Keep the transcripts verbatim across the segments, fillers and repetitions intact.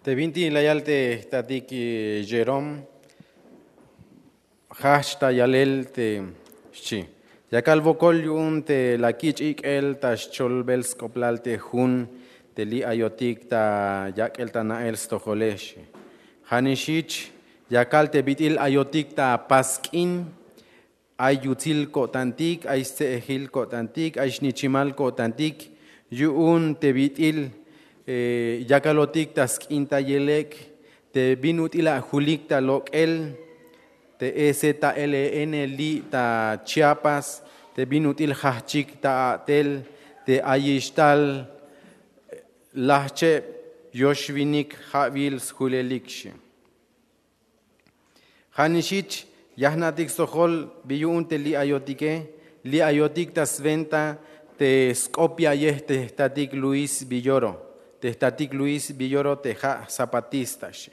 Te binti la yal te jtatik, jerome, jajch ta yalel te xchi, yakal wokol yu'un te la kich' ik'el ta xcholbel sk'oplal te jun te li' ayotik ta yak'el ta na'el stojole xchi. Ja' nix jich yakal te bit'il ayotik ta pas k'in, ay yutsil ko'tantik, ay stse'ejil ko'tantik, ay xnichimal ko'tantik yu'un te bit'il yakalotik ta sk'in ta yelek', te bin ut'il ajulik ta lok'el te e z l n li' ta chiapas, te bin ut'il jajchik ta a'tel te ayix tal lajcheb yoxwinik ja'wil sjulelik xchi. Ja' nix jich ya jna'tik stojol bi yu'un te li' ayotike. Li' ayotik ta swenta te sk'op ya'yej te jtatik luis villoro, te jtatik luis villoro te ja' zapatista xchi.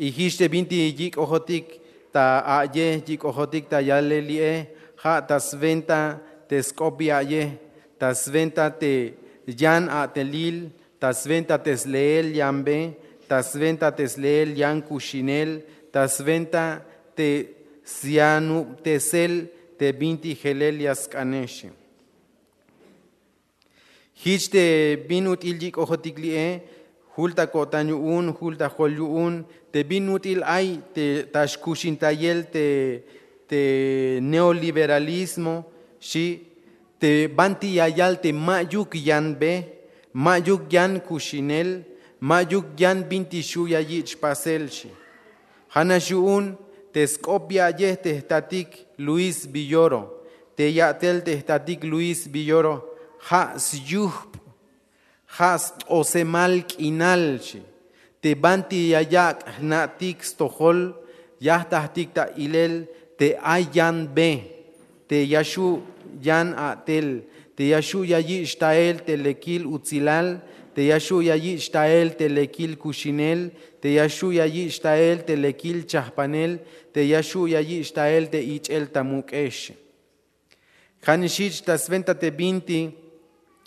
Y jich te binti yik'ojotik ta a'yej, yik'ojotik ta yalel li'e, ja' ta swenta te sk'op ya'yej, ta swenta te yan a'telil, ta swenta te sleel yan be, ta swenta te sleel yan kuxinel, ta swenta te syanubtesel te binti jelel ya sk'ane xchi. Jich te bin ut'il yik'ojotik li'e, jul ta ko'tan yu'un, jul ta jol yu'un, te bin ut'il ay te ta xkuxintayel te te neoliberalismo xchi, te banti ya yal te ma'yuk yan be, ma'yuk yan kuxinel, ma'yuk yan binti xu' ya yich' pasel xchi. Ja' nax yu'un te sk'op ya'yej te jtatik luis villoro, te ya'tel te jtatik luis villoro ja' syujb', ja' st'osemal k'inal xchi. Te banti ya yak' jna'tik stojol, ya jtatik ta ilel te ay yan be, te ya xu' yan a'tel, te ya xu' ya yich' tael te lekil utsilal, te ya xu' ya yich' tael te lekil kuxinel, te ya xu' ya yich' tael te lekil chajpanel, te ya xu' ya yich' tael te ich'el ta muk'ex. Ja' nix jich ta swenta te binti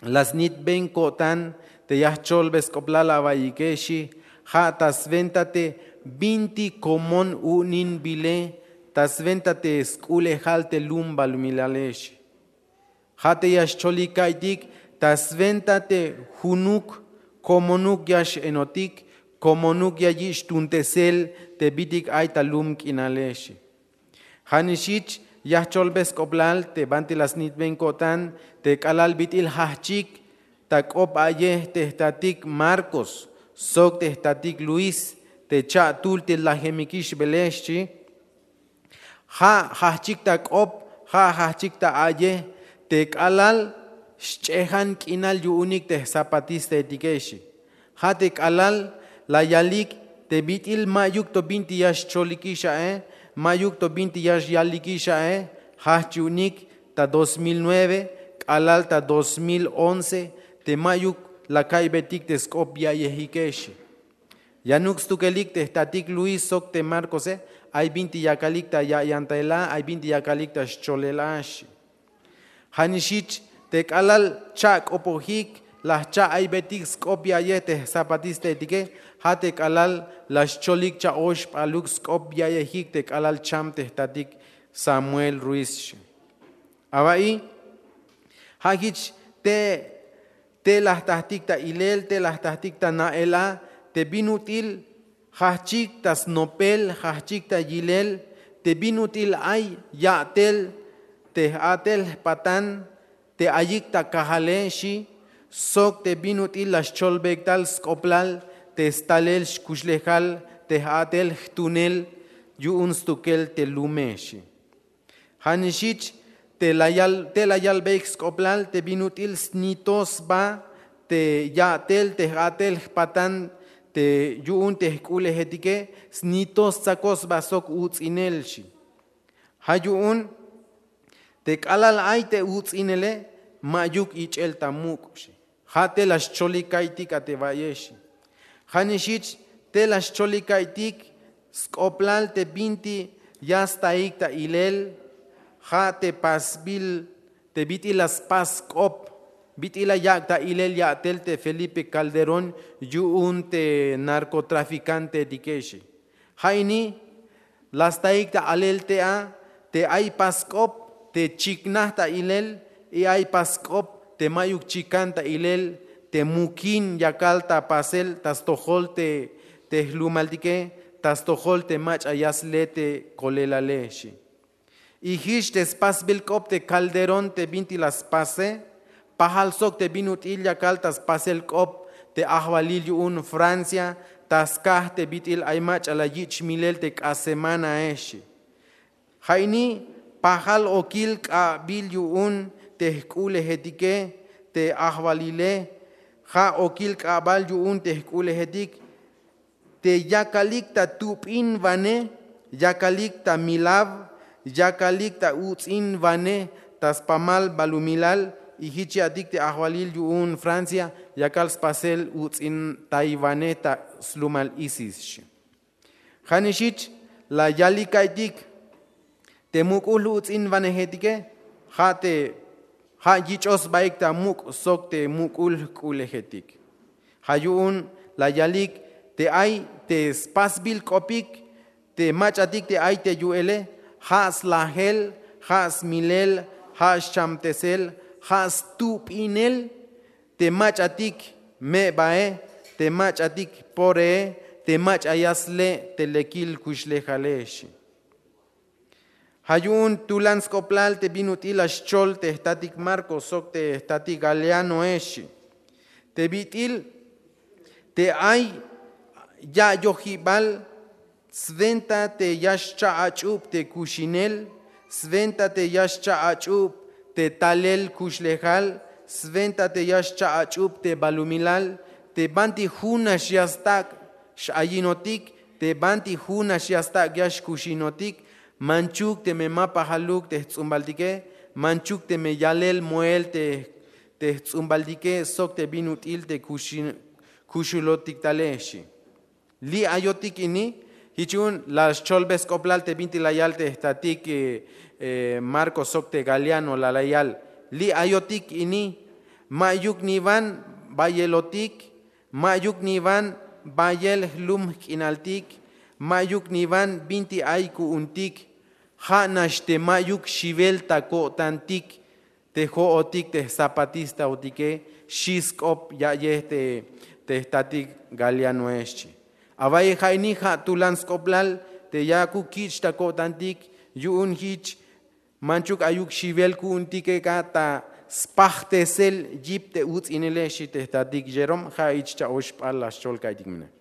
la snitben ko'tan te ya jcholbe sk'oplal awa'iyike xchi, ja' ta swenta te binti komon u'unin bile, ta swenta te sk'ulejal te lum balumilale xchi. Ja' te ya xcholik ka'iytik ta swenta te junuk komonuk ya x'enotik, komonuk ya yich' tuntesel te bitik ay ta lum k'inale xchi. Ja' nix jich ya jcholbe sk'oplal te banti la snitben ko'tan te k'alal bit'il jajchik ta k'op a'yej te jtatik marcos sok te jtatik luis te cha'tul te lajemikix bele xchi. Ja' jajchik ta k'op, ja' jajchik ta a'yej te k'alal xch'ejan k'inal yu'unik te jzapatistaetike xchi. Ja' te k'alal la yalik te bit'il ma'yuk to binti ya xcholikix a'e, ma'yuk to binti ya xyalikix a'e. Jajch yu'unik ta dos mil nueve k'alal ta dos mil once te ma'yuk la ka'iybetik te sk'op ya'yejike xchi. Yanuk stukelik te jtatik luis sok te markose, ay binti yakalik ta ya'yantayel a, ay binti yakalik ta xcholel a xchi. Ja' nix jich te k'alal cha'k'opojik la jcha'aybetik sk'op ya'yej te jzapatistaetike, ja' te k'alal la xcholik cha'oxp'aluk sk'op ya'yejik te k'alal cham te jtatik samuel ruiz xchi. Awa'iy ja' jich te te la jtatik ta ilel, te la jtatik ta na'el a, te bin ut'il jajchik ta snopel, jajchik ta yilel, te bin ut'il ay ya'tel te j'a'tel jpatan te ayik ta kajale xchi, sok te bin ut'il la xcholbeyik tal sk'oplal te stalel xkuxlejal te j'a'tel jtunel yu'un stukel te lume xchi. Ja' nix jich te la yalbeyik sk'oplal te bin ut'il snito sba te ya'tel te j'a'tel jpatan te yu'un te jk'ulejetike, snito stsakoj sba sok uts'inel xchi. Ja' yu'un te k'alal ay te uts'inele ma'yuk ich'el ta muk' xchi. Ja' te la xcholik ka'iytik a te wa'yex. Ja' nix jich te la xcholik ka'iytik sk'oplal te binti ya staik ta ilel, ja' te pasbil te bit'il la spas sk'op Bit'il la yak' ta ilel ya'tel te Felipe Calderón yu'un te narcotraficantetike xi. Ja' ini la staik ta alel tey a te ay pask'op te chiknaj ta ilel, y ay pask'op te ma'yuk chikan ta ilel, te mukin yakal ta pasel ta stojol te te jlumaltike, ta stojol te mach'a ya sle te kolelale xi. Y jich te spasbil k'op te Calderón te binti la spase, pajal sok te bin ut'il yakal ta spasel k'op te ajwalil yu'un Francia, ta skaj te bit'il ay mach'a la yich' milel te k'ax semanae xi. Ja' ini pajal okil k'abil yu'un te jk'u'lejetike te ajwalile. Ja' okil k'abal yu'un te jk'u'lejetik te yakalik ta tup'inwane, yakalik ta milaw, yakalik ta uts'inwane ta spamal balumilal. Y jich ya'tik te ajwalil yu'un Francia yakal spasel uts'intaywane ta slumal ISIS xi. Ja' nix jich la yalik ka'iytik te muk'ul uts'inwanejetike, ja' te ja' yich'oj sbaik ta muk' sok te muk'ul jk'u'lejetik. Ja' yu'un la yalik te ay te spasbil k'opik te mach'atik te ay te yu'ele, ja' slajel, ja' smilel, ja' xchamtesel, ja' stup'inel te mach'atik me'bae, te mach'atik poree, te mach'a ya sle' te lekil kuxlejale xi. Ja' yu'un tulan sk'oplal te bin ut'il la xchol te jtatik Marcos sok te jtatik Galianoe xi. Te bit'il te ay ya'yojibal, swenta te ya xcha' ach'ub te kuxinel, swenta te ya xcha' ach'ub te talel kuxlejal, swenta te ya xcha' ach'ub te balumilal, te banti jun nax ya stak' x'ayinotik, te banti jun nax ya stak' ya xkuxinotik. Manchuk teme ma pajaluk te jts'umbaltike, manchuk teme yalel moel te te jts'umbaltike sok te bin ut'il te kuxulotik tale xi. Li' ayotik ini. Jich yu'un la xcholbe sk'oplal te bintik la yal te jtatik Marcos sok te Galiano, la la yal: Li' ayotik ini, ma'yuk niwan bayelotik, ma'yuk niwan bayel jlum jk'inaltik, ma'yuk niwan bintik ay ku'untik. Ja' nax te ma'yuk xiwel ta ko'tantik te jo'otik te zapatistaotike, xi sk'op ya'yej te jtatik Galianoe xchi. Awa'ye ja' ini ja' tulan sk'oplal te yakuk kich' ta ko'tantik. Yu'un jich manchuk ayuk xiwel ku'untike ka ta spajtesel yip te uts'inele, xi te jtatik Jerome. Ja' jich cha'ox p'al la xchol ka'iytik mene.